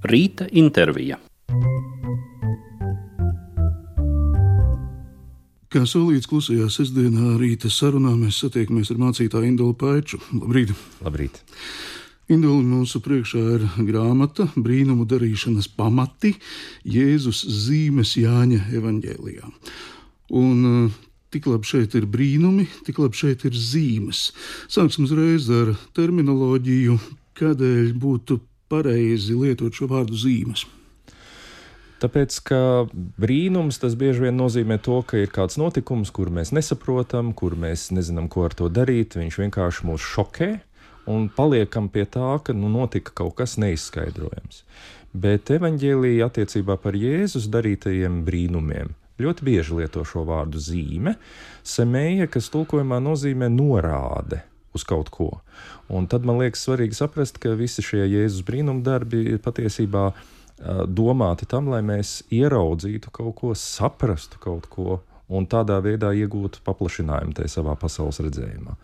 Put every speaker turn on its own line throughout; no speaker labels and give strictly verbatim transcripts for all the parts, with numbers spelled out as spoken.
Rīta intervija.
Kā solīts klusajā sestdienā rīta sarunā, mēs satiekamies ar mācītāju Indulu Paiču. Labrīt!
Labrīt!
Indula, mūsu priekšā ir grāmata Brīnumu darīšanas pamati, Jēzus zīmes Jāņa evaņģēlijā. Un tik labi šeit ir brīnumi, tik labi šeit ir zīmes. Sāksim uzreiz ar terminoloģiju, kādēļ būtu pareizi lietot šo vārdu zīmes.
Tāpēc, ka brīnums tas bieži vien nozīmē to, ka ir kāds notikums, kur mēs nesaprotam, kur mēs nezinām, ko ar to darīt. Viņš vienkārši mūs šokē un paliekam pie tā, ka nu, notika kaut kas neizskaidrojams. Bet evaņģēlija attiecībā par Jēzus darītajiem brīnumiem ļoti bieži lieto šo vārdu zīme, semēja, kas tulkojumā nozīmē norāde uz kaut ko. Un tad man liekas svarīgi saprast, ka visi šie Jēzus brīnumu darbi ir patiesībā domāti tam, lai mēs ieraudzītu kaut ko, saprastu kaut ko un tādā veidā iegūtu paplašinājumu tajā savā pasaules redzējumā.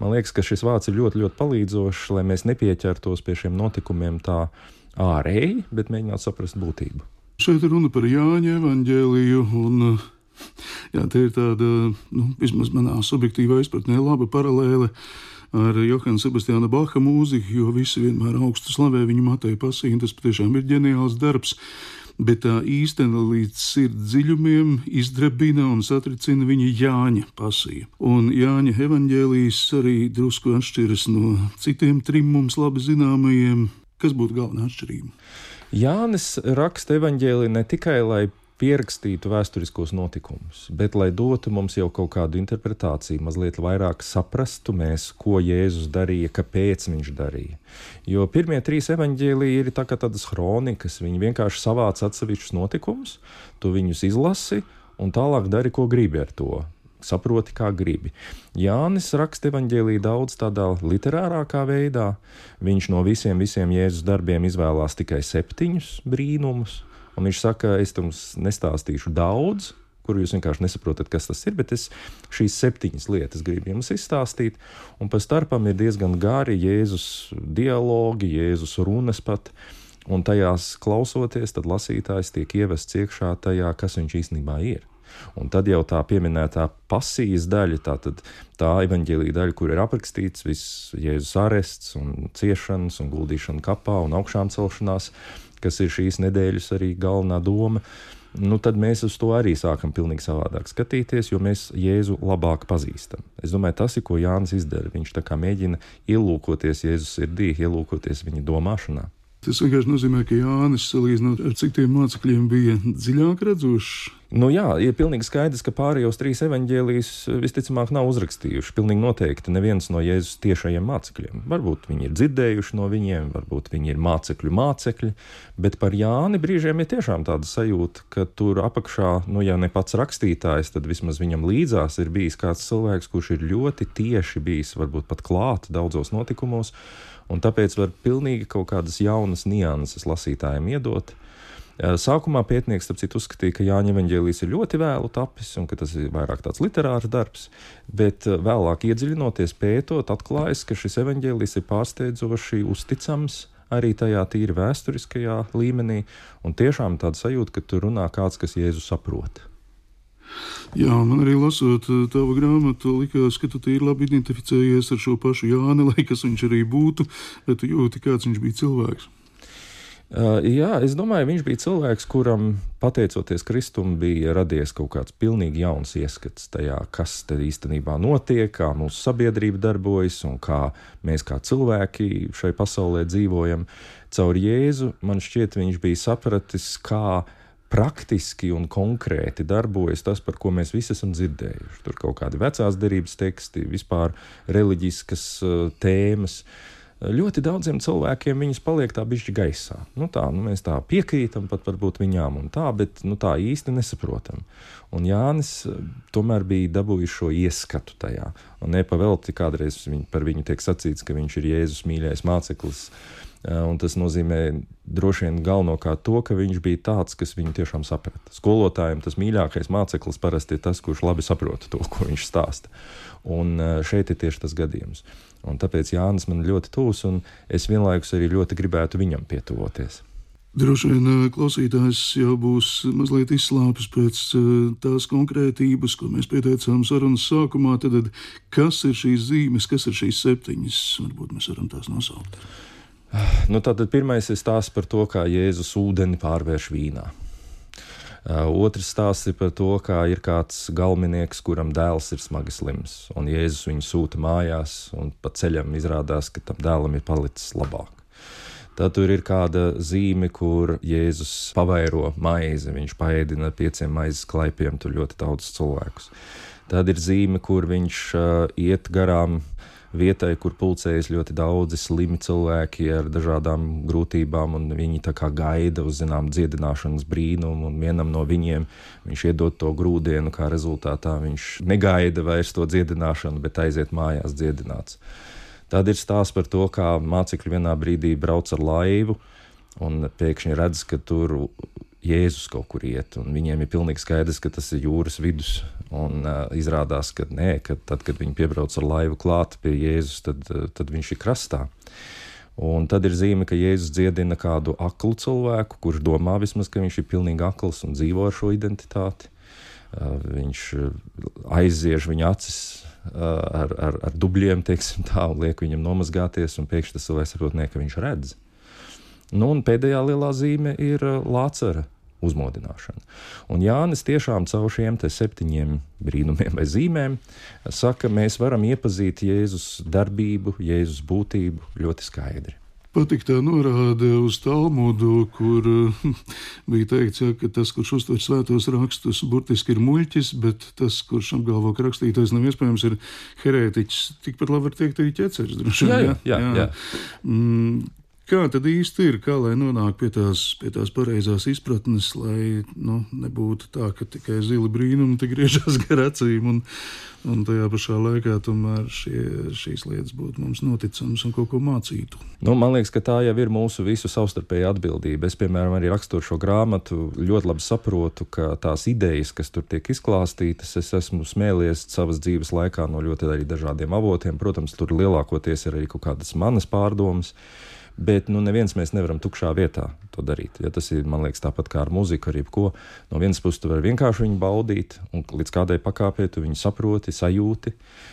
Man liekas, ka šis vārds ir ļoti, ļoti palīdzošs, lai mēs nepieķertos pie šiem notikumiem tā ārēji, bet mēģinātu saprast būtību.
Šeit ir runa par Jāņa evaņģēliju, un jā, te ir tāda, nu, vismaz manā subjektīvā izpratnē, laba paralēle ar Johana Sebastiāna Baha mūziku, jo visi vienmēr augstu slavē viņu Mateja pasiju, un tas patiešām ir ģeniāls darbs, bet tā īstena līdz sirds dziļumiem izdrebina un satricina viņa Jāņa pasiju. Un Jāņa evaņģēlijs arī drusku atšķiras no citiem trim mums labi zināmajiem. Kas būtu galvenā atšķirība?
Jānis raksta evaņģēliju ne tikai, lai pierakstītu vēsturiskos notikumus, bet lai dotu mums jau kaut kādu interpretāciju, mazliet vairāk saprastu mēs, ko Jēzus darīja, kāpēc viņš darīja. Jo pirmie trīs evaņģēliji ir tā kā tādas hronikas, viņi vienkārši savāc atsevišķus notikumus, tu viņus izlasi un tālāk dari, ko gribi ar to. Saproti, kā gribi. Jānis raksta evaņģēliju daudz tādā literārākā veidā. Viņš no visiem, visiem Jēzus darbiem izvēlās tikai septiņus brīnumus. Un viņš saka, es jums nestāstīšu daudz, kuru jūs vienkārši nesaprotat, kas tas ir, bet es šīs septiņas lietas gribu jums izstāstīt. Un pa starpam ir diezgan gari Jēzus dialogi, Jēzus runas pat. Un tajās klausoties, tad lasītājs tiek ievests iekšā tajā, kas viņš īstenībā ir. Un tad jau tā pieminētā pasijas daļa, tā, tad, tā evaņģēlija daļa, kur ir aprakstīts viss Jēzus arests un ciešanas un guldīšana kapā un augšām celšanās, kas ir šīs nedēļas arī galvenā doma, nu tad mēs uz to arī sākam pilnīgi savādāk skatīties, jo mēs Jēzu labāk pazīstam. Es domāju, tas ir, ko Jānis izdara. Viņš tā kā mēģina ielūkoties Jēzus sirdī, ielūkoties viņa domāšanā.
Tas vienkārši nozīmē, ka Jānis, salīdzinot ar citiem mācekļiem, bija dziļāk redzošs.
Nu jā, ir pilnīgi skaidrs, ka pārējos trīs evaņģēlijus visticamāk nav uzrakstījuši. Pilnīgi noteikti neviens no Jēzus tiešajiem mācekļiem. Varbūt viņi ir dzirdējuši no viņiem, varbūt viņi ir mācekļu mācekļi, bet par Jāni brīžiem ir tiešām tāda sajūta, ka tur apakšā, nu ja ne pats rakstītājs, tad vismaz viņam līdzās ir bijis kāds cilvēks, kurš ir ļoti tieši bijis, varbūt pat klāt daudzos notikumos, un tāpēc var pilnīgi kaut kādas jaunas nianses lasītājiem iedot. Sākumā pētnieks, starp citu, uzskatīja, ka Jāņa evaņģēlijs ir ļoti vēlu tapis un ka tas ir vairāk tāds literārs darbs, bet vēlāk iedziļinoties pētot, atklājas, ka šis evaņģēlijs ir pārsteidzoši uzticams arī tajā tīri vēsturiskajā līmenī, un tiešām tāda sajūta, ka tur runā kāds, kas Jēzu saprot.
Jā, man arī lasot tavu grāmatu, likās, ka tu tīri labi identificējies ar šo pašu Jāni, lai kas viņš arī būtu, bet tu jūti, kāds viņš bija cilvēks.
Uh, jā, es domāju, viņš bija cilvēks, kuram, pateicoties Kristum, bija radies kaut kāds pilnīgi jauns ieskats tajā, kas te īstenībā notiek, kā mūsu sabiedrība darbojas un kā mēs kā cilvēki šai pasaulē dzīvojam. Caur Jēzu, man šķiet, viņš bija sapratis, kā praktiski un konkrēti darbojas tas, par ko mēs visi esam dzirdējuši. Tur kaut kādi vecās derības teksti, vispār reliģiskas uh, tēmas. Ļoti daudziem cilvēkiem viņas paliek tā bišķi gaisā. Nu tā, nu mēs tā piekrītam pat varbūt viņām un tā, bet nu tā īsti nesaprotam. Un Jānis tomēr bija dabūjis šo ieskatu tajā. Un nepavelti kādreiz viņ, par viņu tiek sacīts, ka viņš ir Jēzus mīļais māceklis. Un tas nozīmē droši vien galvenokārt to, ka viņš bija tāds, kas viņu tiešām saprata. Skolotājiem tas mīļākais māceklis parasti ir tas, kurš labi saprota to, ko viņš stāsta. Un šeit ir tieši tas gadījums. Un tāpēc Jānis man ļoti tūs, un es vienlaikus arī ļoti gribētu viņam pietuvoties.
Droši vien klausītājs jau būs mazliet izslāpis pēc tās konkrētības, ko mēs pieteicām sarunas sākumā. Tad kas ir šīs zīmes, kas ir šīs septiņas? Varbūt mēs varam tās nosaukt.
Nu, tātad pirmais ir stāsts par to, kā Jēzus ūdeni pārvērš vīnā. Otrs stāsts ir par to, kā ir kāds galminieks, kuram dēls ir smagi slims, un Jēzus viņu sūta mājās, un pa ceļam izrādās, ka tam dēlam ir palicis labāk. Tad tur ir kāda zīme, kur Jēzus pavairo maizi, viņš paēdina pieciem maizes klaipiem, tur ļoti daudz cilvēkus. Tad ir zīme, kur viņš uh, iet garām vietai, kur pulcējas ļoti daudzi slimi cilvēki ar dažādām grūtībām, un viņi tā kā gaida uz, zinām, dziedināšanas brīnumu, un vienam no viņiem viņš iedod to grūdienu, kā rezultātā viņš negaida vairs to dziedināšanu, bet aiziet mājās dziedināts. Tad ir stāsts par to, kā mācekļi vienā brīdī brauc ar laivu, un pēkšņi redz, ka tur Jēzus kaut kur iet, un viņiem ir pilnīgi skaidrs, ka tas ir jūras vidus, un uh, izrādās, ka nē, ka tad, kad viņi piebrauc ar laivu klāt pie Jēzus, tad, uh, tad viņš ir krastā. Un tad ir zīme, ka Jēzus dziedina kādu aklu cilvēku, kurš domā vismaz, ka viņš ir pilnīgi akls un dzīvo ar šo identitāti. Uh, viņš aiziež viņa acis uh, ar, ar, ar dubļiem, teiksim tā, un liek viņam nomazgāties, un pēkšņi tas cilvēks saprot, ne, ka viņš redz. Nu, un pēdējā lielā zīme ir Lācara uzmodināšana. Un Jānis tiešām caur šiem te septiņiem brīnumiem vai zīmēm saka, mēs varam iepazīt Jēzus darbību, Jēzus būtību ļoti skaidri.
Patīk tā norāde uz Talmudu, kur bija teikts, ja, ka tas, kurš uztver svētos rakstus, burtiski ir muļķis, bet tas, kurš apgalvo, ka rakstītais nav iespējams, ir herētiķis. Tikpat labi var teikt arī ķeceris. Droši,
jā, jā, jā, jā. jā.
Mm. Kā tad īsti ir, kā lai nonāk pie tās, pie tās pareizās izpratnes, lai nu, nebūtu tā, ka tikai zili brīnumi te griežās gar acīm un, un tajā pašā laikā tomēr šie, šīs lietas būtu mums noticamas un kaut ko mācītu?
Nu, man liekas, ka tā jau ir mūsu visu savstarpēja atbildība. Es, piemēram, arī rakstot šo grāmatu, ļoti labi saprotu, ka tās idejas, kas tur tiek izklāstītas, es esmu smēlies savas dzīves laikā no ļoti arī dažādiem avotiem. Protams, tur lielākoties ir arī kaut kādas manas pārdomas. Bet nu, neviens mēs nevaram tukšā vietā to darīt. Ja tas ir, man liekas, tāpat kā ar muziku, ar jebko. No vienas puses tu vari vienkārši viņu baudīt, un līdz kādai pakāpē tu viņu saproti, sajūti,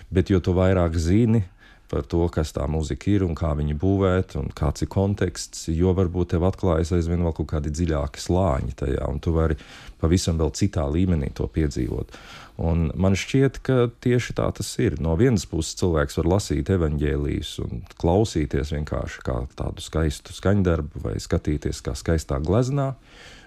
bet jo tu vairāk zini par to, kas tā muzika ir un kā viņu būvēt un kāds ir konteksts, jo varbūt tev atklājas aizvien vēl kaut kādi dziļāki slāņi tajā, un tu vari pavisam vēl citā līmenī to piedzīvot. Un man šķiet, ka tieši tā tas ir. No vienas puses cilvēks var lasīt evaņģēlijus un klausīties vienkārši kā tādu skaistu skaņdarbu vai skatīties kā skaistā gleznā,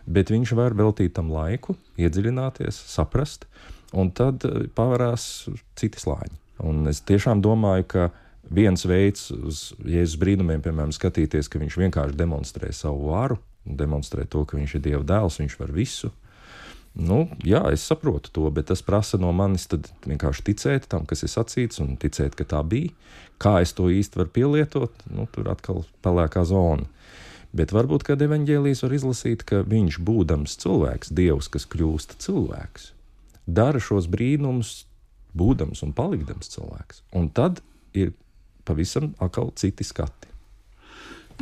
bet viņš var veltīt tam laiku, iedziļināties, saprast, un tad pavarās citi slāņi. Un es tiešām domāju, ka viens veids uz Jēzus brīnumiem, piemēram, skatīties, ka viņš vienkārši demonstrē savu varu, demonstrē to, ka viņš ir Dieva dēls, viņš var visu. Nu, jā, es saprotu to, bet tas prasa no manis tad vienkārši ticēt tam, kas ir sacīts, un ticēt, ka tā bija. Kā es to īsti varu pielietot, nu, tur atkal pelēkā zona. Bet varbūt, kad evaņģēlijs var izlasīt, ka viņš būdams cilvēks, Dievs, kas kļūst cilvēks, dara šos brīnumus, būdams un palikdams cilvēks. Un tad ir pavisam atkal citi skati.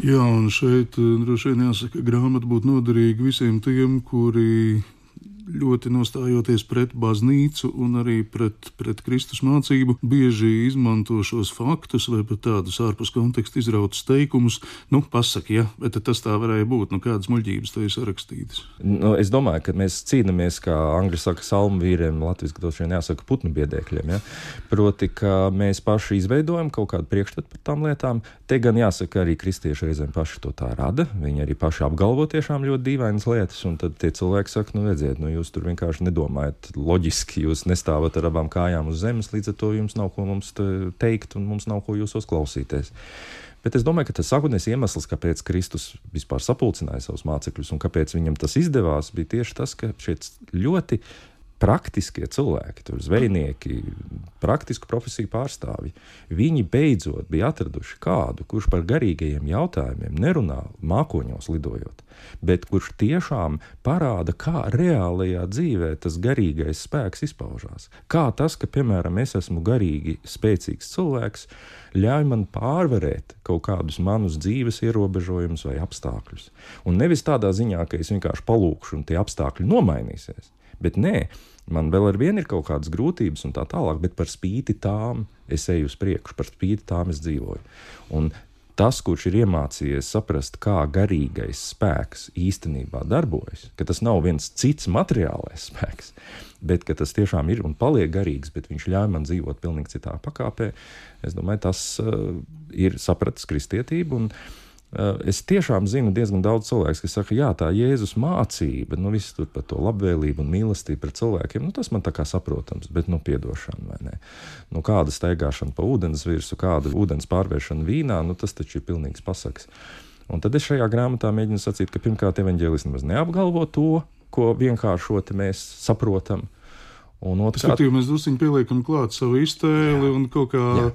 Jā, un šeit droši vien jāsaka, grāmata būtu noderīga visiem tiem, kuri ļoti nostājoties pret baznīcu un arī pret, pret Kristus mācību, bieži izmanto šos faktus vai pat tādus ārpus konteksta izrautus teikumus. Nu, pasaki, ja, bet tas tā varēja būt, nu kādas muļķības te ir sarakstītas?
Nu, es domāju, ka mēs cīnamies, kā angļu saka, salmu vīriem, latviski droši vien jāsaka putnu biedēkļiem, ja? Proti, ka mēs paši izveidojam kaut kādu priekšstatu par tām lietām. Te gan jāsaka, arī kristieši reizēm paši to tā rada, viņi arī paši apgalvo tiešām ļoti dīvainas lietas, un tad tie cilvēki saka, nu redziet, nu jūs tur vienkārši nedomājat loģiski, jūs nestāvat ar abām kājām uz zemes, līdz ar to jums nav ko mums teikt un mums nav ko jūsos klausīties. Bet es domāju, ka tas sākotnējais iemesls, kāpēc Kristus vispār sapulcināja savus mācekļus un kāpēc viņam tas izdevās, bija tieši tas, ka šie ļoti praktiskie cilvēki, tur zvejnieki, praktisku profesiju pārstāvji, viņi beidzot bija atraduši kādu, kurš par garīgajiem jautājumiem nerunā mākoņos lidojot, bet kurš tiešām parāda, kā reālajā dzīvē tas garīgais spēks izpaužās. Kā tas, ka, piemēram, es esmu garīgi spēcīgs cilvēks, ļauj man pārvarēt kaut kādus manus dzīves ierobežojumus vai apstākļus. Un nevis tādā ziņā, ka es vienkārši palūkšu un tie apstākļi nomainīsies. Bet nē, man vēl ar vienu ir kaut kādas grūtības un tā tālāk, bet par spīti tām es eju uz priekšu, par spīti tām es dzīvoju. Un tas, kurš ir iemācījies saprast, kā garīgais spēks īstenībā darbojas, ka tas nav viens cits materiālais spēks, bet ka tas tiešām ir un paliek garīgs, bet viņš ļauj man dzīvot pilnīgi citā pakāpē, es domāju, tas uh, ir sapratis kristietību. Un uh, es tiešām zinu diezgan daudz cilvēks, kas saka, jā, tā Jēzus mācība, nu viss tur par to labvēlību un mīlestību pret cilvēkiem, nu tas man tā kā saprotams, bet nu piedošana vai ne. Nu kāda staigāšana pa ūdens virsu, kāda ūdens pārvēršana vīnā, nu tas taču ir pilnīgs pasaks. Un tad es šajā grāmatā mēģinu sacīt, ka pirmkārt evaņģēlis nemaz neapgalvo to, ko vienkāršoti mēs saprotam. Un otrkārt,
skatījumi, mēs drusciņi pieliekam klāt savu iztēli un kaut kā
jā.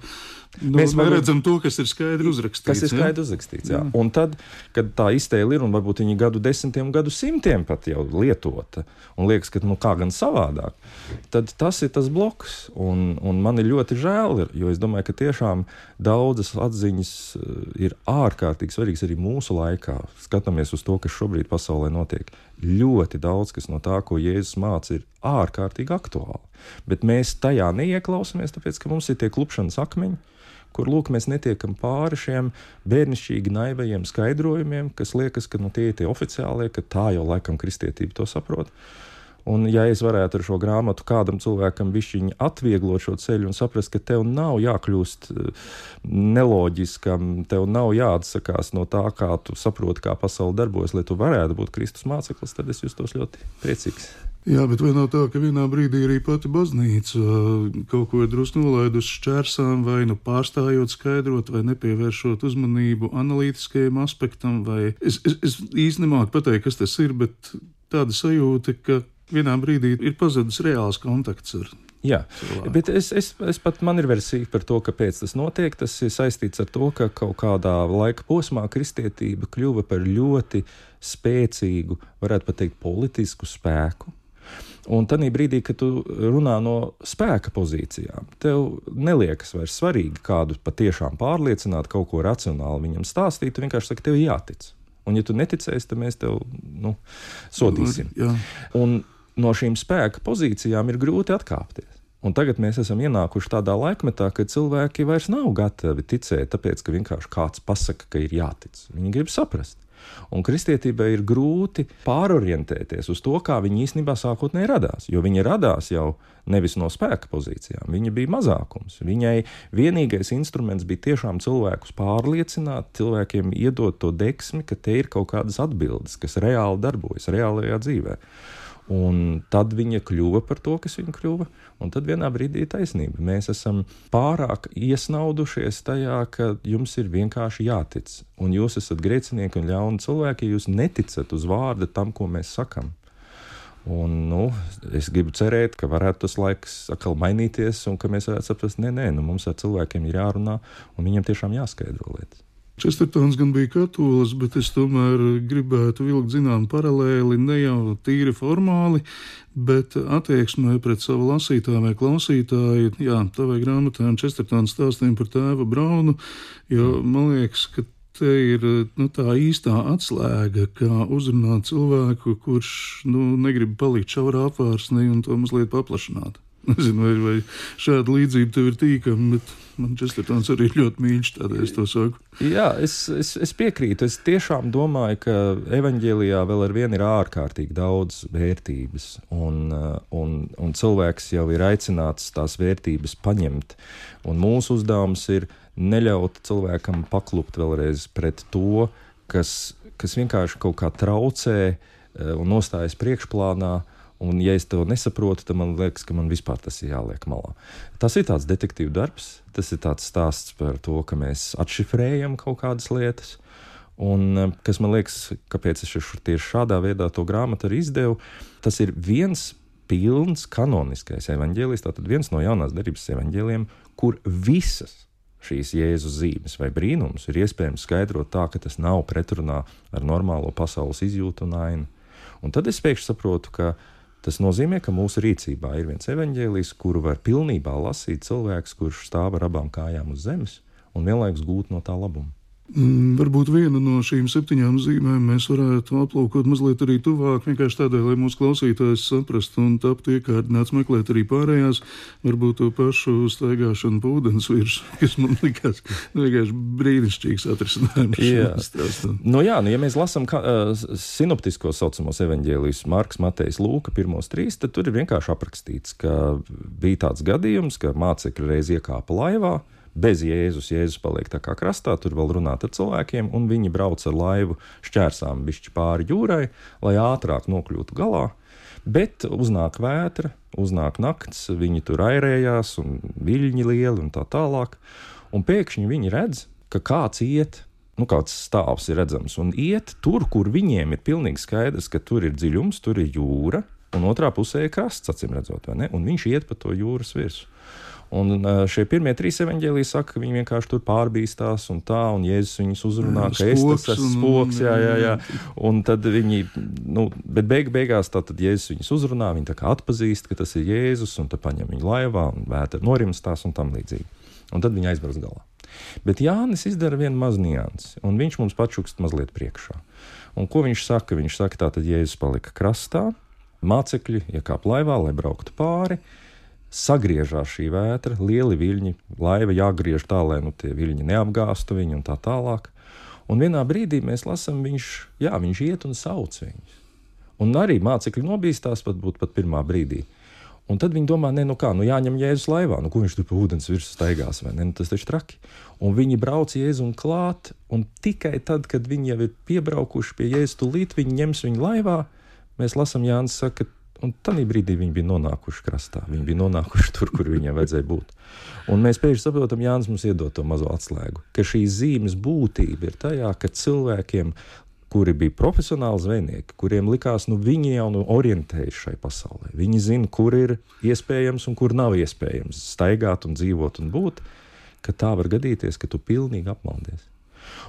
Nu,
mēs
neredzam to, kas ir skaidri uzrakstīts.
Kas ir skaidri uzrakstīts, jā. jā. Un tad, kad tā iztēle ir, un varbūt viņi gadu desmitiem, gadu simtiem pat jau lietota, un liekas, ka nu kā gan savādāk, tad tas ir tas bloks. Un, un man ir ļoti žēl, jo es domāju, ka tiešām daudzas atziņas ir ārkārtīgi svarīgas arī mūsu laikā. Skatāmies uz to, kas šobrīd pasaulē notiek. Ļoti daudz, kas no tā, ko Jēzus māca, ir ārkārtīgi aktuāli. Bet mēs tajā neieklausamies, tāpēc, ka mums ir tie klupšanas akmeņi, kur, lūk, mēs netiekam pāri šiem bērnišķīgi naivajiem skaidrojumiem, kas liekas, ka nu, tie ir tie oficiālie, ka tā jau laikam kristietība to saprot. Un ja es varētu ar šo grāmatu kādam cilvēkam bišķiņi atvieglot šo ceļu un saprast, ka tev nav jākļūst neloģiskam, tev nav jāatsakās no tā, kā tu saproti, kā pasaule darbojas, lai tu varētu būt Kristus māceklis, tad es justos ļoti priecīgs.
Jā, bet vai nav tā, ka vienā brīdī arī pati baznīca kaut ko ir drusku nolaidusi šķērsām, vai nu pārstājot skaidrot, vai nepievēršot uzmanību analītiskajam aspektam, vai es, es, es īsti nemāku pateikt, kas tas ir, bet tāda sajūta, ka vienā brīdī ir pazudis reāls kontakts ar
Jā,
cilvēku.
Bet es, es, es pat man ir versija par to, kāpēc tas notiek. Tas ir saistīts ar to, ka kaut kādā laika posmā kristietība kļuva par ļoti spēcīgu, varētu pat teikt, politisku spēku. Un tanī brīdī, kad tu runā no spēka pozīcijām, tev neliekas vairs svarīgi kādu patiešām pārliecināt, kaut ko racionāli viņam stāstīt, tu vienkārši saki, tev jātic. Un ja tu neticēsi, tad mēs tev, nu, sodīsim.
Jā.
Un no šīm spēka pozīcijām ir grūti atkāpties. Un tagad mēs esam ienākuši tādā laikmetā, kad cilvēki vairs nav gatavi ticēt, tāpēc, ka vienkārši kāds pasaka, ka ir jātic. Viņi grib saprast. Un kristietībai ir grūti pārorientēties uz to, kā viņi īstenībā sākotnēji radās. Jo viņi radās jau nevis no spēka pozīcijām, viņi bija mazākums. Viņai vienīgais instruments bija tiešām cilvēkus pārliecināt, cilvēkiem iedot to deksmi, ka te ir kaut kādas atbildes, kas reāli darbojas reālajā dzīvē. Un tad viņa kļuva par to, kas viņa kļuva, un tad vienā brīdī ir taisnība. Mēs esam pārāk iesnaudušies tajā, ka jums ir vienkārši jātic, un jūs esat grēcinieki un ļauni cilvēki, ja jūs neticat uz vārda tam, ko mēs sakam. Un, nu, es gribu cerēt, ka varētu tas laiks atkal mainīties, un ka mēs varētu saprast, nē, nē, nu, mums ar cilvēkiem ir jārunā, un viņiem tiešām jāskaidro lietas.
Čestertons gan bija katolis, bet es tomēr gribētu vilkt zinām paralēli ne jau tīri formāli, bet attieksmē pret savu lasītāju vai klausītāju. Jā, tavai grāmatām Čestertons stāstiem par tēva Braunu, jo man liekas, ka te ir nu, tā īstā atslēga, kā uzrunāt cilvēku, kurš nu, negrib palikt šaurā apvārsnī un to mazliet paplašināt. Nezinu, vai, vai šāda līdzība tev ir tīkama, bet man Čestertons arī ļoti mīļš, tādēļ es to saku.
Jā, es, es, es piekrītu. Es tiešām domāju, ka evaņģēlijā vēl ar vienu ir ārkārtīgi daudz vērtības, un, un, un cilvēks jau ir aicināts tās vērtības paņemt. Un mūsu uzdevums ir neļaut cilvēkam paklupt vēlreiz pret to, kas, kas vienkārši kaut kā traucē un nostājas priekšplānā. Un, ja es to nesaprotu, tad man liekas, ka man vispār tas ir jāliek malā. Tas ir tāds detektīvu darbs, tas ir tāds stāsts par to, ka mēs atšifrējam kaut kādas lietas. Un, kas man liekas, kāpēc es tieši šādā veidā to grāmatu arī izdevu, tas ir viens pilns kanoniskais evaņģēlijs, tātad viens no jaunās derības evaņģēlijiem, kur visas šīs Jēzus zīmes vai brīnums ir iespējams skaidrot tā, ka tas nav pretrunā ar normālo pasaules izjūtu un ainu. Un tad es pēkšņi saprotu, ka tas nozīmē, ka mūsu rīcībā ir viens evaņģēlijs, kuru var pilnībā lasīt cilvēks, kurš stāv ar abām kājām uz zemes un vienlaikus gūt no tā labumu.
Mm, varbūt vienu no šīm septiņām zīmēm mēs varētu aplūkot mazliet arī tuvāk, vienkārši tādēļ, lai mūsu klausītājs saprastu un taptu iekārdināts meklēt arī pārējās, varbūt to pašu staigāšanu pa ūdens virsmu, kas man likās vienkārši brīnišķīgs atrisinājums.
Jā. Nu jā, nu ja mēs lasām ka, uh, sinoptiskos saucamos evaņģēlijus Marks, Matejs, Lūka, pirmos trīs, tad tur ir vienkārši aprakstīts, ka bija tāds gadījums, ka mācekļi reiz iekāpa laivā, bez Jēzus, Jēzus paliek tā kā krastā, tur vēl runāt ar cilvēkiem, un viņi brauc ar laivu šķērsām bišķi pāri jūrai, lai ātrāk nokļūtu galā, bet uznāk vētra, uznāk nakts, viņi tur airējās, un viļņi lieli, un tā tālāk, un pēkšņi viņi redz, ka kāds iet, nu kāds stāvs ir redzams, un iet tur, kur viņiem ir pilnīgi skaidrs, ka tur ir dziļums, tur ir jūra, un otrā pusē ir krasts, acīm redzot, vai ne, un viņš iet pa to jūras virsu. Un šie pirmie trīs evaņģēliji saka, ka viņi vienkārši tur pārbīstās un tā, un Jēzus viņus uzrunā, jā, ka es tas esmu spoks, jā, jā, jā. Un tad viņi, nu, bet beig, beigās tātad Jēzus viņus uzrunā, viņi tā kā atpazīst, ka tas ir Jēzus, un tad paņem viņu laivā, un vētra norimstās un tam līdzīgi. Un tad viņi aizbrauc galā. Bet Jānis izdara vienu maz niansi, un viņš mums pačukst mazliet priekšā. Un ko viņš saka? Viņš saka, tātad Jēzus palika krastā, mācekļi iekāp laivā, lai brauktu pāri, sagriežās šī vētra, lieli viļņi, laiva jāgriež tā, lai nu, tie viļņi neapgāstu viņu un tā tālāk. Un vienā brīdī mēs lasām, viņš, jā, viņš iet un sauc viņus. Un arī mācekļi nobīstās pat būt pat pirmā brīdī. Un tad viņi domā, ne, nu kā, nu jāņem Jēzus laivā, nu ko viņš tur pa ūdens virsmu staigās, vai ne, nu tas taču traki. Un viņi brauc Jēzum klāt, un tikai tad, kad viņi jau ir piebraukuši pie Jēzus tūlīt, viņi ņems viņu laivā, mēs lasām, Jānis saka, un tādā brīdī viņi bija nonākuši krastā. Viņi bija nonākuši tur, kur viņiem vajadzēja būt. Un mēs pēkšņi saprotam, Jānis mums iedod to mazo atslēgu, ka šīs zīmes būtība ir tajā, ka cilvēkiem, kuri bija profesionāli zvejnieki, kuriem likās, nu viņi jau nu orientējas šai pasaulē. Viņi zina, kur ir iespējams un kur nav iespējams staigāt un dzīvot un būt, ka tā var gadīties, ka tu pilnīgi apmaldies.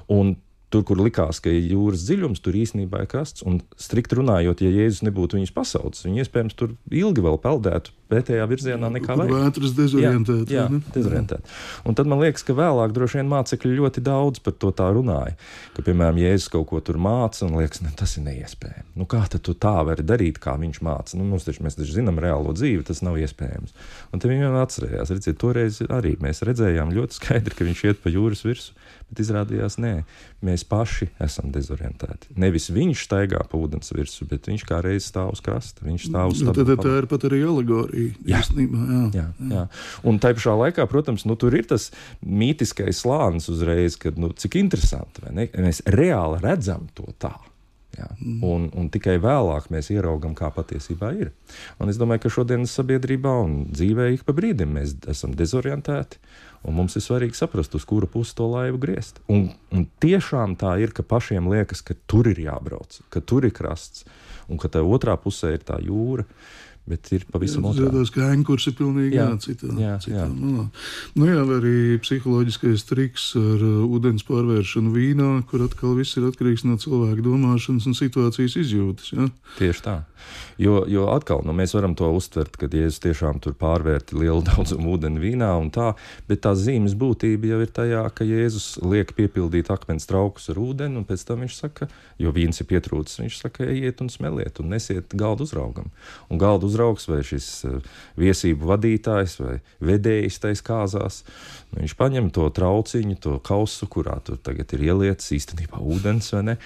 Un tur, kur likās, ka ir jūras dziļums, tur īstenībā ir krasts. Un strikt runājot, ja Jēzus nebūtu viņus pasaucis, viņi iespējams tur ilgi vēl peldētu pretējā virzienā nekā vajag.
Vētras dezorientēt.
Jā, jā, dezorientēt. Un tad man liekas, ka vēlāk droši vien mācekļi ļoti daudz par to tā runāja. Ka, piemēram, Jēzus kaut ko tur māca un liekas, ne, tas ir neiespējami. Nu, kā tad tu tā vari darīt, kā viņš māca? Nu, mums taču, mēs taču zinām reālo dzīvi, tas nav iespējams. Un te viņi atcerējās. Redziet, toreiz arī mēs redzējām ļoti skaidri, ka viņš iet pa jūras virsu, bet izrādījās, nē, mēs paši esam dezorientēti. Nevis viņš staigā pa ūdens virsu, bet viņš kā reiz stāv uz krasta. Viņš stāv uz
stabu. Tad tā ir pat arī alegorija.
Jā.
Īstenībā, jā.
Jā, jā. Un tai pašā laikā, protams, nu, tur ir tas mītiskais slānis uzreiz, kad, nu, cik interesanti, vai ne? Mēs reāli redzam to tā. Jā. Un, un tikai vēlāk mēs ieraugam, kā patiesībā ir. Un es domāju, ka šodienas sabiedrībā un dzīvē ik pa brīdim mēs esam dezorientēti, un mums ir svarīgi saprast, uz kuru pusi to laivu griezt. Un, un tiešām tā ir, ka pašiem liekas, ka tur ir jābrauc, ka tur ir krasts, un ka tā otrā pusē ir tā jūra. Bet ir pavisam otrādi.
Tas kā ankurs ir pilnīgi jā, jā, citā, jā, citā jā. malā. Nu jā, vai arī psiholoģiskais triks ar uh, ūdens pārvēršanu vīnā, kur atkal viss ir atkarīgs no cilvēka domāšanas un situācijas izjūtas. Jā?
Tieši tā. Jo, jo atkal, nu, mēs varam to uztvert, kad Jēzus tiešām tur pārvērti lielu daudzumu ūdeni vīnā un tā, bet tā zīmes būtība jau ir tajā, ka Jēzus liek piepildīt akmens traukus ar ūdeni, un pēc tam viņš saka, jo vīns ir pietrūcis, viņš saka, ejiet un smeliet un nesiet galdu uzraugam. Un galdu uzraugs vai šis viesību vadītājs vai vedējs tais kāzās, nu, viņš paņem to trauciņu, to kausu, kurā tur tagad ir ielietas īstenībā ūdens, vai ne?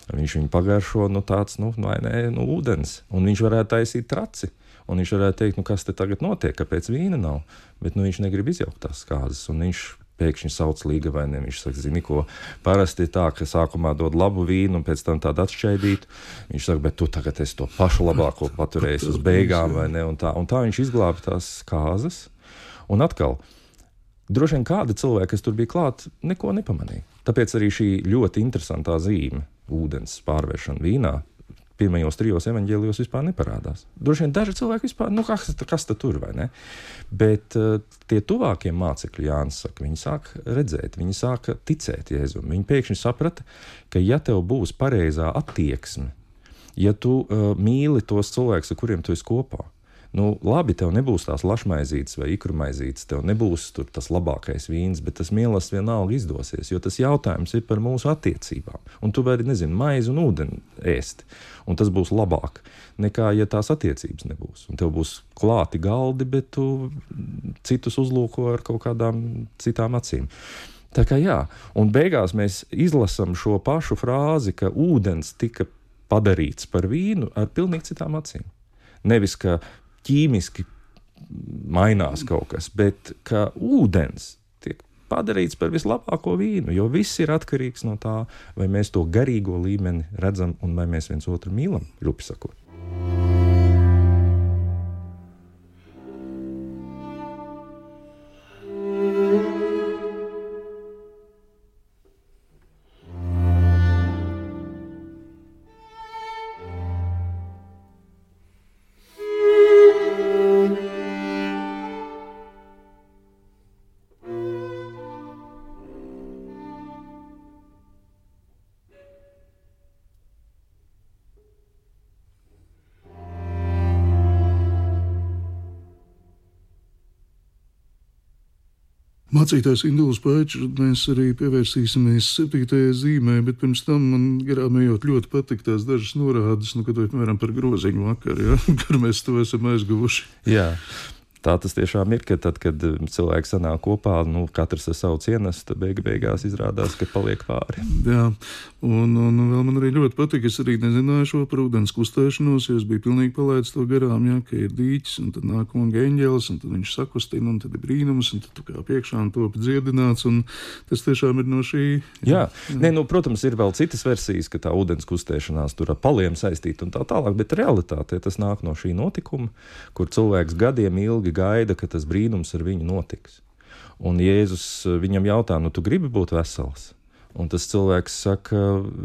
Viņš viņu pagaršo, nu tāds, nu, vai ne, nu, ūdens. Un viņš varētu taisīt traci. Un viņš varētu teikt, nu, kas te tagad notiek, kāpēc vīna nav. Bet, nu, viņš negrib izjaukt tās kāzas. Un viņš pēkšņi sauc līgavainiem. Viņš saka, zini, ko parasti ir tā, ka sākumā dod labu vīnu un pēc tam tādu atšķaidītu. Viņš saka, bet tu tagad esi to pašu labāko paturējis uz beigām, vai ne? Un tā, un tā viņš izglāba tās kāzas. Un atkal, droši vien kādi cilvēki, kas tur bija klāt, neko nepamanīja. Tāpēc arī šī ļoti interesantā zīme, ūdens pārvēršana vīnā, pirmajos trijos evaņģēlijos vispār neparādās. Droši vien daži cilvēki vispār, nu kas, kas tad tur, vai ne? Bet uh, tie tuvākie mācekļi, Jānis saka, viņi sāk redzēt, viņi sāk ticēt Jēzum. Viņi pēkšņi saprata, ka ja tev būs pareizā attieksme, ja tu uh, mīli tos cilvēkus, ar kuriem tu esi kopā, nu, labi, tev nebūs tās lašmaizītes vai ikrumaizītes, tev nebūs tur tas labākais vīns, bet tas mīlestības vienalga izdosies, jo tas jautājums ir par mūsu attiecībām. Un tu vari, nezinu, maizi un ūdeni ēst, un tas būs labāk nekā, ja tās attiecības nebūs. Un tev būs klāti galdi, bet tu citus uzlūko ar kaut kādām citām acīm. Tā kā jā, un beigās mēs izlasam šo pašu frāzi, ka ūdens tika padarīts par vīnu ar pilnīgi citām acīm. Nevis, ka ķīmiski mainās kaut kas, bet ka ūdens tiek padarīts par vislabāko vīnu, jo viss ir atkarīgs no tā, vai mēs to garīgo līmeni redzam un vai mēs viens otru mīlam, rupi sakot.
Mācītājs Induls Paičs, mēs arī pievērsīsimies septītajai zīmē, bet pirms tam man garām ejot ļoti patīk tās dažas norādes, nu, kad vai, piemēram, par groziņu vakaru, ja, kur mēs to esam aizguvuši.
Jā. Tā tas tiešām ir, ka tad, kad cilvēki sanāk kopā, nu, katrs ar savu cienestu, beig beigās izrādās, ka paliek pāri.
Jā, un, un vēl man arī ļoti patīk, es arī nezināju šo par ūdens kustēšanos, jo es biju pilnīgi palaidis to garām, jā, ka ir dīķis, un tad nāk kunga eņģelis, un tad viņš sakustina, un tad ir brīnums, un tad tu kā priekšā un top dziedināts, un tas tiešām ir no šī.
Jā, jā. Nē, nu, protams, ir vēl citas versijas, ka tā ūdens kustēšanās tur ar paliem saistīta un tā tālāk, bet realitāte tas nāk no šī notikuma, kur cilvēks gadiem ilgi gaida, ka tas brīnums ar viņu notiks. Un Jēzus viņam jautā, nu tu gribi būt vesels? Un tas cilvēks saka,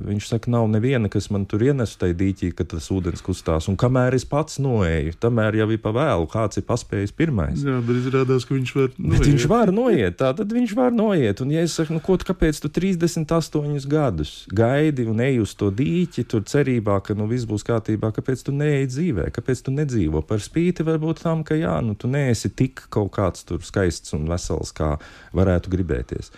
viņš saka, nav neviena, kas man tur ienesu tai dīķī, ka tas ūdens kustās. Un kamēr es pats noeju, tamēr jau ir pa vēlu, kāds ir paspējis pirmais.
Jā, bet izrādās, ka viņš var noiet.
Bet viņš var noiet, tā tad viņš var noiet. Un ja es saku, nu ko, kāpēc tu trīsdesmit astoņus gadus gaidi un eji uz to dīķi, tur cerībā, ka nu viss būs kārtībā, kāpēc tu neeji dzīvē, kāpēc tu nedzīvo? Par spīti varbūt tam, ka jā, nu tu neesi tik kaut kāds tur skaists un vesels, kā varētu gribēties.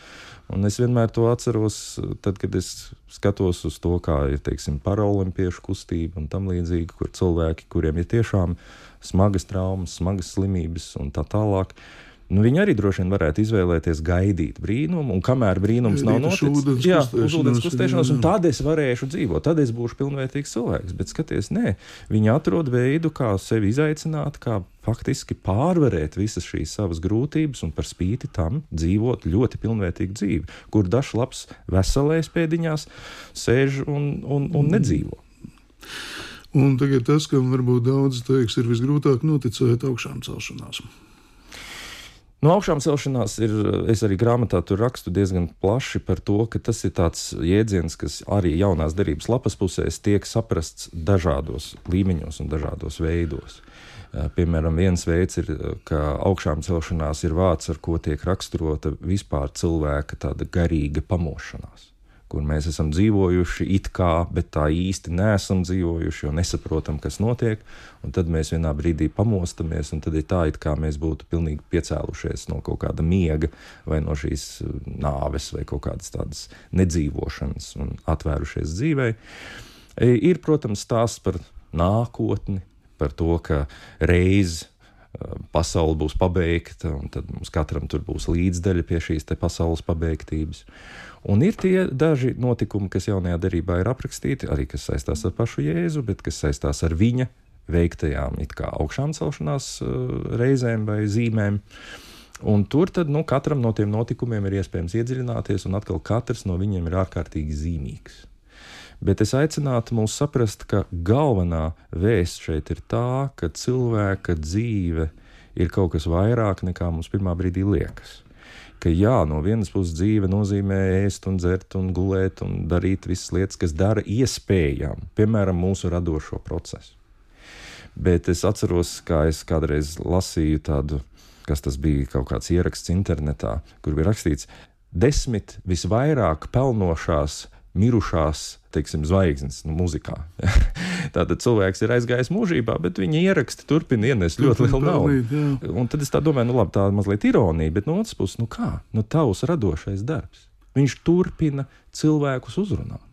Un es vienmēr to atceros, tad, kad es skatos uz to, kā ir, teiksim, paraolimpiešu kustība un tam līdzīgi, kur cilvēki, kuriem ir tiešām smagas traumas, smagas slimības un tā tālāk, nu, viņi arī droši vien varētu izvēlēties gaidīt brīnumu, un kamēr brīnums nav noticis, jā, uz ūdens kustēšanos, un tad es varēšu dzīvot, tad es būšu pilnvērtīgs cilvēks. Bet skaties, nē, viņi atrod veidu, kā sevi izaicināt, kā faktiski pārvarēt visas šīs savas grūtības un par spīti tam dzīvot ļoti pilnvērtīgu dzīvi, kur dažs labs veselais pēdiņās sēž un, un, un nedzīvo.
Un tagad tas, kam varbūt daudz teiks, ir visgrūtāk noticēt augšām celšanās.
No augšām celšanās ir, es arī grāmatā tur rakstu diezgan plaši par to, ka tas ir tāds jēdziens, kas arī jaunās derības lapas pusēs tiek saprasts dažādos līmeņos un dažādos veidos. Piemēram, viens veids ir, ka augšām celšanās ir vārds, ar ko tiek raksturota vispār cilvēka tāda garīga pamošanās, kur mēs esam dzīvojuši it kā, bet tā īsti neesam dzīvojuši, jo nesaprotam, kas notiek, un tad mēs vienā brīdī pamostamies, un tad ir tā, it kā mēs būtu pilnīgi piecēlušies no kaut kāda miega, vai no šīs nāves, vai kaut kādas tādas nedzīvošanas, un atvērušies dzīvei. Ir, protams, stāsts par nākotni, par to, ka reiz pasaule būs pabeigta, un tad mums katram tur būs līdzdaļa pie šīs te pasaules pabeigtības. Un ir tie daži notikumi, kas jaunajā derībā ir aprakstīti, arī kas saistās ar pašu Jēzu, bet kas saistās ar viņa veiktajām it kā augšām celšanās reizēm vai zīmēm. Un tur tad, nu, katram no tiem notikumiem ir iespējams iedziļināties, un atkal katrs no viņiem ir ārkārtīgi zīmīgs. Bet es aicinātu mūs saprast, ka galvenā vēsts šeit ir tā, ka cilvēka dzīve ir kaut kas vairāk nekā mums pirmā brīdī liekas. ka jā, no vienas puses dzīve nozīmē ēst un dzert un gulēt un darīt visas lietas, kas dara iespējām, piemēram, mūsu radošo procesu. Bet es atceros, kā es kādreiz lasīju tādu, kas tas bija kaut kāds ieraksts internetā, kur bija rakstīts desmit visvairāk pelnošās mirušās, teiksim, zvaigznes, nu, muzikā. Tātad cilvēks ir aizgājis mūžībā, bet viņa ieraksti turpina ienest ļoti lielu naudu. Un tad es tā domāju, nu labi, tā mazliet ironija, bet no otras puses, nu kā? Nu tavs radošais darbs. Viņš turpina cilvēkus uzrunāt.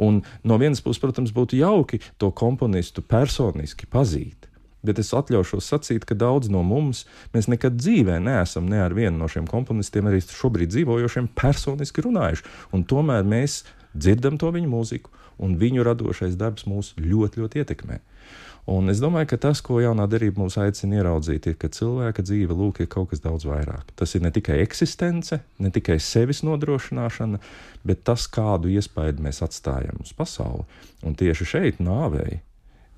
Un no vienas puses, protams, būtu jauki to komponistu personiski pazīt. Bet es atļaušos sacīt, ka daudz no mums, mēs nekad dzīvē neesam ne ar vienu no šiem komponistiem, arī šobrīd dzīvojošiem, personiski runājuši. Un tomēr mēs dzirdam to viņu mūziku, un viņu radošais darbs mūs ļoti, ļoti ietekmē. Un es domāju, ka tas, ko jaunā derība mūs aicina ieraudzīt, ir, ka cilvēka dzīve, lūk, ir kaut kas daudz vairāk. Tas ir ne tikai eksistence, ne tikai sevis nodrošināšana, bet tas, kādu iespaidu mēs atstājam uz pasauli. Un tieši šeit nāvei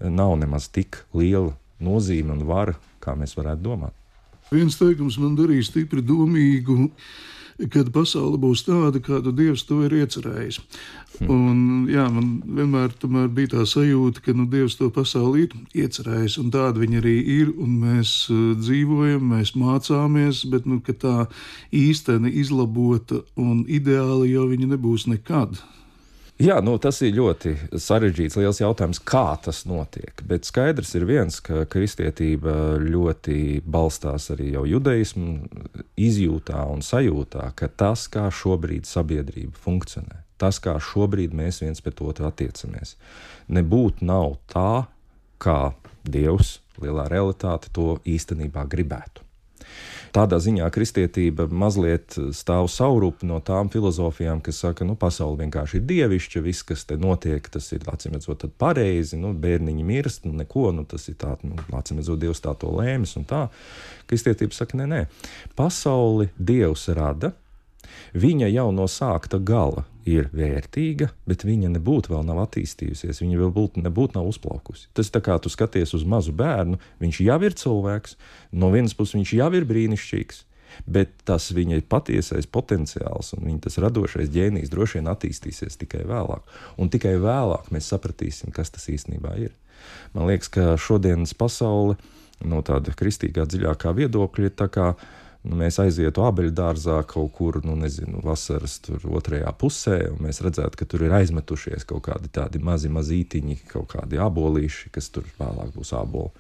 nav nemaz tik liela nozīme un vara, kā mēs varētu domāt.
Viens teikums man darīja stipri domīgu, kad pasaule būs tāda, kādu Dievs to ir iecerējis. Hmm. Un, jā, man vienmēr tomēr bija tā sajūta, ka nu, Dievs to pasauli ir iecerējis, un tāda viņa arī ir, un mēs uh, dzīvojam, mēs mācāmies, bet nu, ka tā īsteni izlabota un ideāli jau viņa nebūs nekad.
Jā, nu, tas ir ļoti sarežģīts, liels jautājums, kā tas notiek. Bet skaidrs ir viens, ka kristietība ļoti balstās arī jau judaismu izjūtā un sajūtā, ka tas, kā šobrīd sabiedrība funkcionē, tas, kā šobrīd mēs viens pret otru attiecamies, nebūtu nav tā, kā Dievs, lielā realitāte, to īstenībā gribētu. Tādā ziņā kristietība mazliet stāv saurupi no tām filozofijām, kas saka, nu, pasaule vienkārši ir dievišķa, viss, kas te notiek, tas ir, acīmredzot, tad pareizi, nu, bērniņi mirst, nu, neko, nu, tas ir tā, nu, acīmredzot, Dievs tā to lēmis un tā. Kristietība saka, nē, nē, pasauli Dievs rada, viņa jau no sākta gala ir vērtīga, bet viņa nebūtu vēl nav attīstījusies, viņa vēl būt, nebūtu nav uzplaukusi. Tas tā kā tu skaties uz mazu bērnu, viņš jau ir cilvēks, no vienas puses viņš jau ir brīnišķīgs, bet tas viņa patiesais potenciāls un viņa tas radošais ģēnijs droši vien attīstīsies tikai vēlāk. Un tikai vēlāk mēs sapratīsim, kas tas īstenībā ir. Man liekas, ka šodienas pasaule no tāda kristīgā dziļākā viedokļa ir tā kā nu, mēs aizietu abeļdārzā kaut kur, nu, nezinu, vasaras tur otrajā pusē, un mēs redzētu, ka tur ir aizmetušies kaut kādi tādi mazi mazītiņi, kaut kādi abolīši, kas tur vēlāk būs āboli.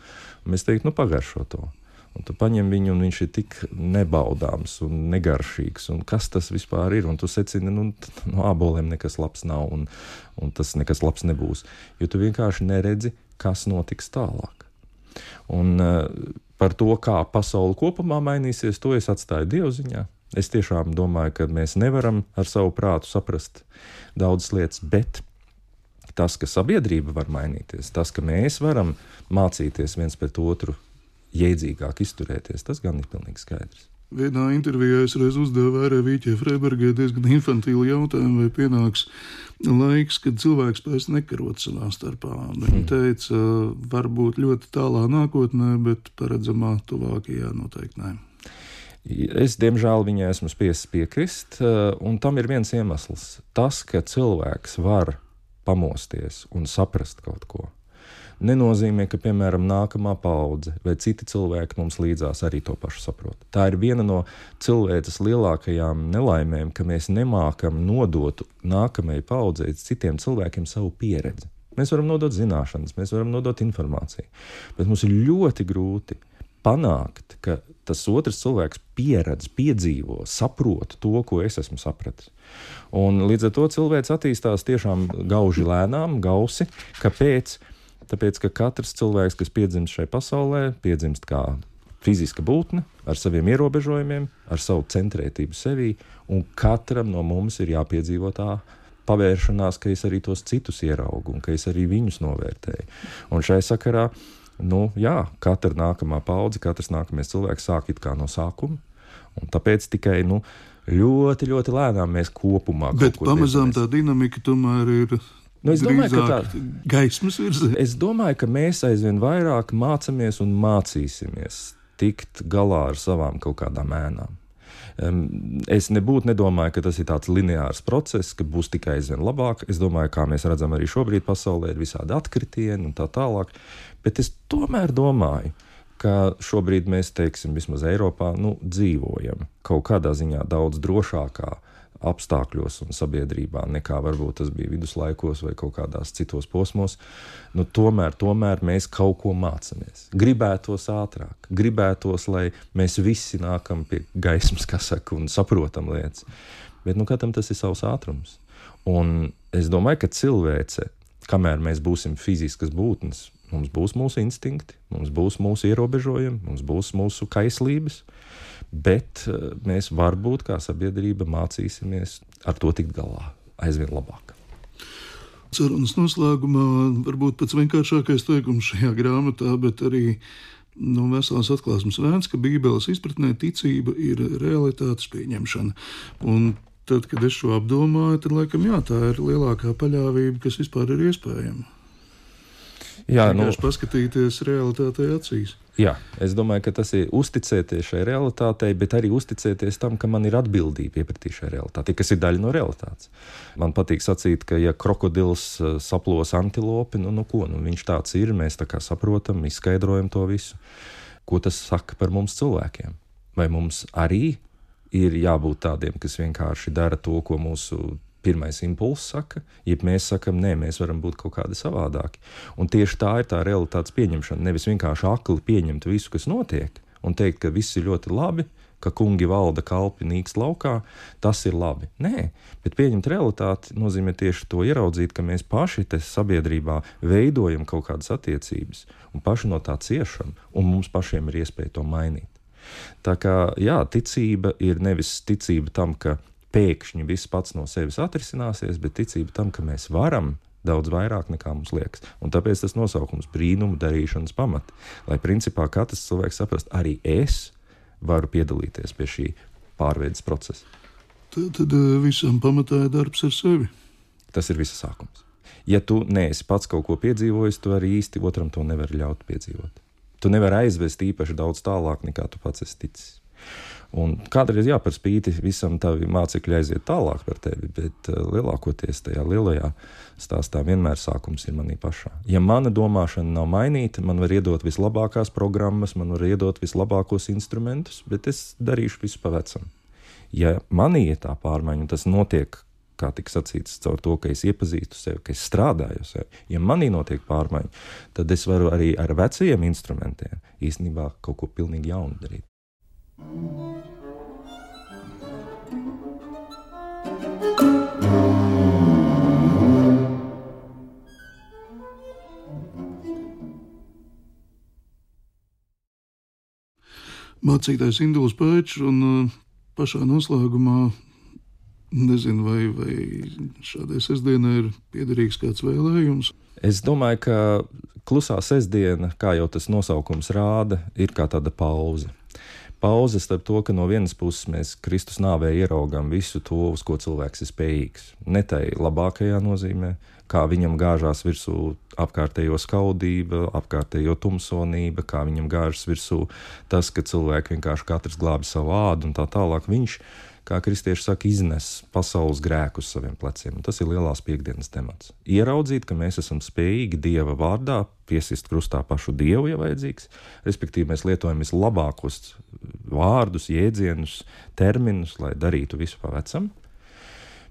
Un mēs teiktu, nu, pagaršo to. Un tu paņem viņu, un viņš ir tik nebaudāms un negaršīgs, un kas tas vispār ir, un tu secini, nu, no āboliem nekas labs nav, un, un tas nekas labs nebūs, jo tu vienkārši neredzi, kas notiks tālāk. Un uh, par to, kā pasaule kopumā mainīsies, to es atstāju Dievu ziņā. Es tiešām domāju, ka mēs nevaram ar savu prātu saprast daudzas lietas, bet tas, ka sabiedrība var mainīties, tas, ka mēs varam mācīties viens pret otru jēdzīgāk izturēties, tas gan ir pilnīgi skaidrs.
Vienā intervijā es reiz uzdevu Vērē Vīķē Freibergai diezgan infantīlu jautājumu, vai pienāks laiks, kad cilvēks pēc nekarot savā starpā. Viņa teica, varbūt ļoti tālā nākotnē, bet paredzamā tuvākajā noteikti nē.
Es, diemžēl, viņai esmu spiests piekrist, un tam ir viens iemesls. Tas, ka cilvēks var pamosties un saprast kaut ko, nenozīmē, ka, piemēram, nākamā paudze vai citi cilvēki mums līdzās arī to pašu saprot. Tā ir viena no cilvēces lielākajām nelaimēm, ka mēs nemākam nodot nākamajai paudzei citiem cilvēkiem savu pieredzi. Mēs varam nodot zināšanas, mēs varam nodot informāciju, bet mums ir ļoti grūti panākt, ka tas otrs cilvēks pieredz, piedzīvo, saprot to, ko es esmu sapratis. Un līdz ar to cilvēks attīstās tiešām gauži lēnām, gausi, kāpēc? Tāpēc, ka katrs cilvēks, kas piedzimst šai pasaulē, piedzimst kā fiziska būtne, ar saviem ierobežojumiem, ar savu centrētību sevī, un katram no mums ir jāpiedzīvo tā pavēršanās, ka es arī tos citus ieraugu, un ka es arī viņus novērtēju. Un šai sakarā, nu jā, katra nākamā paudze, katrs nākamais cilvēks sāk it kā no sākuma, un tāpēc tikai, nu, ļoti, ļoti lēnām mēs kopumā kaut
Bet
ko
pamazām
diezamies.
Tā dinamika tomēr ir
Nu, es domāju, ka tā,
gaismas virzē.
Es domāju, ka mēs aizvien vairāk mācamies un mācīsimies tikt galā ar savām kaut kādām ēnām. Es nebūtu nedomāju, ka tas ir tāds lineārs process, ka būs tikai aizvien labāk. Es domāju, kā mēs redzam arī šobrīd pasaulē, ir visādi atkritieni un tā tālāk. Bet es tomēr domāju, ka šobrīd mēs, teiksim, vismaz Eiropā, nu, dzīvojam kaut kādā ziņā daudz drošākā apstākļos un sabiedrībā, nekā varbūt tas bija viduslaikos vai kaut kādās citos posmos. Nu, tomēr, tomēr mēs kaut ko mācamies. Gribētos ātrāk, gribētos, lai mēs visi nākam pie gaismas, kā saka, un saprotam lietas. Bet, nu, katram tas ir savs ātrums. Un es domāju, ka cilvēce, kamēr mēs būsim fiziskas būtnes, mums būs mūsu instinkti, mums būs mūsu ierobežojumi, mums būs mūsu kaislības, bet mēs varbūt kā sabiedrība mācīsimies ar to tikt galā aizvien labāk.
Sarunas noslēgumā varbūt pats vienkāršākais teikums šajā grāmatā, bet arī no veselās atklāsmes vērts, ka Bībeles izpratnē ticība ir realitātes pieņemšana. Un tad, kad es šo apdomāju, tad laikam jā, tā ir lielākā paļāvība, kas vispār ir iespējama. Jā, nu, paskatīties realitātei acīs.
Jā, es domāju, ka tas ir uzticēties šai realitātei, bet arī uzticēties tam, ka man ir atbildība iepratī šai realitātei, kas ir daļa no realitātes. Man patīk sacīt, ka ja krokodils saplos antilopi, nu, nu ko, nu viņš tāds ir, mēs tā kā saprotam, izskaidrojam to visu. Ko tas saka par mums cilvēkiem? Vai mums arī ir jābūt tādiem, kas vienkārši dara to, ko mūsu pirmais impulss saka, ja mēs sakam, nē, mēs varam būt kaut kādi savādāki. Un tieši tā ir tā realitātes pieņemšana. Nevis vienkārši akli pieņemt visu, kas notiek, un teikt, ka viss ir ļoti labi, ka kungi valda, kalpi nīkst laukā, tas ir labi. Nē, bet pieņemt realitāti nozīmē tieši to ieraudzīt, ka mēs paši te sabiedrībā veidojam kaut kādas attiecības, un paši no tā ciešam, un mums pašiem ir iespēja to mainīt. Tā kā, jā, ticība ir nevis ticība tam, ka pēkšņi viss pats no sevis atrisināsies, bet ticība tam, ka mēs varam daudz vairāk nekā mums liekas. Un tāpēc tas nosaukums brīnumu darīšanas pamati. Lai principā katrs cilvēks saprast, arī es varu piedalīties pie šī pārveides procesa.
Tad, tad visam pamatā ir darbs ar sevi.
Tas ir visa sākums. Ja tu neesi pats kaut ko piedzīvojis, tu arī īsti otram to nevari ļaut piedzīvot. Tu nevari aizvest īpaši daudz tālāk, nekā tu pats esi ticis. Un kādreiz, jā, par spīti visam tavi mācekļi aiziet tālāk par tevi, bet uh, lielākoties tajā lielajā stāstā vienmēr sākums ir manī pašā. Ja mana domāšana nav mainīta, man var iedot vislabākās programmas, man var iedot vislabākos instrumentus, bet es darīšu visu pa vecam. Ja manī ir tā pārmaiņa, un tas notiek, kā tika sacīts, caur to, ka es iepazīstu sevi, ka es strādāju sevi, ja manī notiek pārmaiņa, tad es varu arī ar vecajiem instrumentiem īstenībā kaut ko pilnīgi jaunu darīt.
Mācītājs Induls Pēčs, un uh, pašā noslēgumā nezinu, vai, vai šādai sestdienai ir piederīgs kāds vēlējums.
Es domāju, ka klusā sestdiena, kā jau tas nosaukums rāda, ir kā tāda pauze. Pauze starp to, ka no vienas puses mēs Kristus nāvē ieraugam visu to, uz ko cilvēks ir spējīgs. Ne tai labākajā nozīmē, kā viņam gāžās virsū apkārtējo skaudība, apkārtējo tumsonība, kā viņam gāžas virsū tas, ka cilvēki vienkārši katrs glābi savu ādu un tā tālāk. Viņš, kā kristieši saka, iznes pasaules grēku uz saviem pleciem. Un tas ir lielās piekdienas temats. Ieraudzīt, ka mēs esam spējīgi Dieva vārdā piesist krustā pašu Dievu, ja vajadzīgs. Respektīvi, mēs lietojam vislabākos vārdus, jēdzienus, terminus, lai darītu visu pa vecam.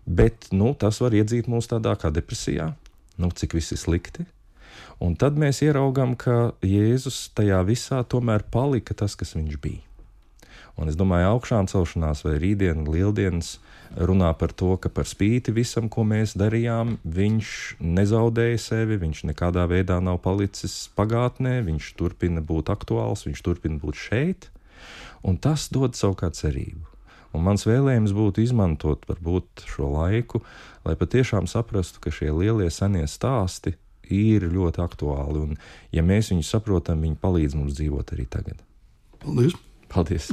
Bet, nu, tas var iedzīt mūs tādā kā depresijā, nu, cik viss ir slikti. Un tad mēs ieraugam, ka Jēzus tajā visā tomēr palika tas, kas viņš bija. Un es domāju, augšām celšanās vai rītdiena, lieldienas runā par to, ka par spīti visam, ko mēs darījām, viņš nezaudēja sevi, viņš nekādā veidā nav palicis pagātnē, viņš turpina būt aktuāls, viņš turpina būt šeit, un tas dod savukārt cerību. Un mans vēlējums būtu izmantot varbūt šo laiku, lai patiešām saprastu, ka šie lielie senie stāsti ir ļoti aktuāli, un ja mēs viņus saprotam, viņi palīdz mums dzīvot arī tagad.
Paldies!
Paldies!